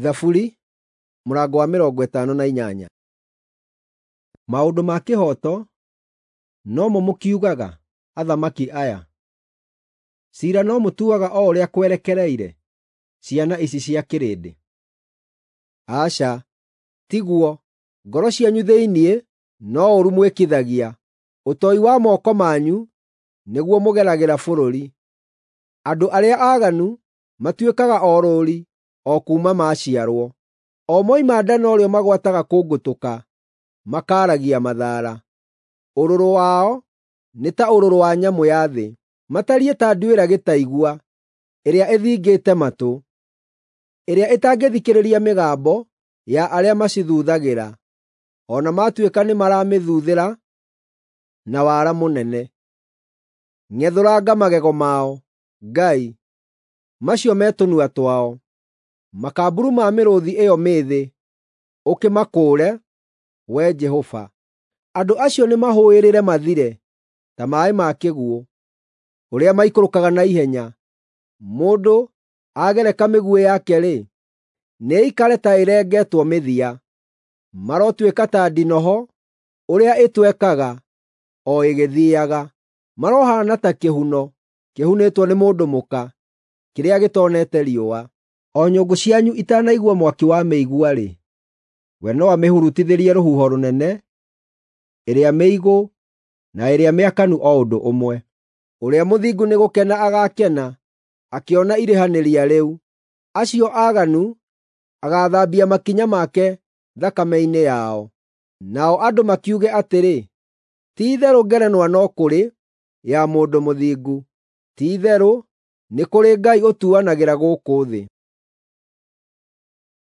Thaburi mũrango wa 58. Maũndũ ma kĩhooto no mo mũkiugaga, athamaki aya? Ciira no mũtuaga o ũrĩa kwerekereire, ciana ici cia kĩrĩndĩ? Aca, tiguo, ngoro cianyu thĩinĩ no ũũru mwĩkithagia, ũtoi wa moko manyu nĩguo mũgeragĩra bũrũri. Andũ arĩa aaganu matuĩkaga orũũri o kuuma maaciarwo; o moima nda norĩo magwataga kũngũtũka, makaaragia mathaara. Ũrũrũ wao nĩ ta ũrũrũ wa nyamũ-ya-thĩ, matariĩ ta nduĩra gĩtaigua ĩrĩa ĩthingĩte matũ, ĩrĩa ĩtangĩthikĩrĩria mĩgambo ya arĩa macithuthagĩra, o na maatuĩka nĩmaramĩthuthĩra na wara mũnene. Ng'ethũranga magego mao, Ngai, macio me tũnua twao, makamburu ma mĩrũũthi ĩyo mĩĩthĩ, ũkĩmakũũre, Wee Jehova. Andũ acio nĩmahũĩrĩre mathire ta maaĩ ma kĩguũ, ũrĩa maikũrũkaga na ihenya. Mũndũ agereka mĩguĩ yake-rĩ, nĩĩikare ta ĩrengetwo mĩthia. Marotuĩka ta ndinoho ũrĩa ĩtwekaga o ĩgĩthiiaga. Marohaana ta kĩhuno kĩhunĩtwo nĩ mũndũ mũka, kĩrĩa gĩtoonete riũa. O nyũngũ cianyu itanaigua mwaki wa mĩigua-rĩ, we no amĩhurutithĩrie rũhuho rũnene, ĩrĩa mĩigũ na ĩrĩa mĩakanu o ũndũ ũmwe. Ũrĩa mũthingu nĩgũkena agaakena akĩona irĩhanĩria rĩu; acio aaganu agaathambia makinya make thakame-inĩ yao. Nao andũ makiuge atĩrĩ, “Ti-itherũ ngerenwa no kũrĩ ya mũndũ mũthingu; ti-itherũ nĩ kũrĩ Ngai ũtuanagĩra gũkũ thĩ.”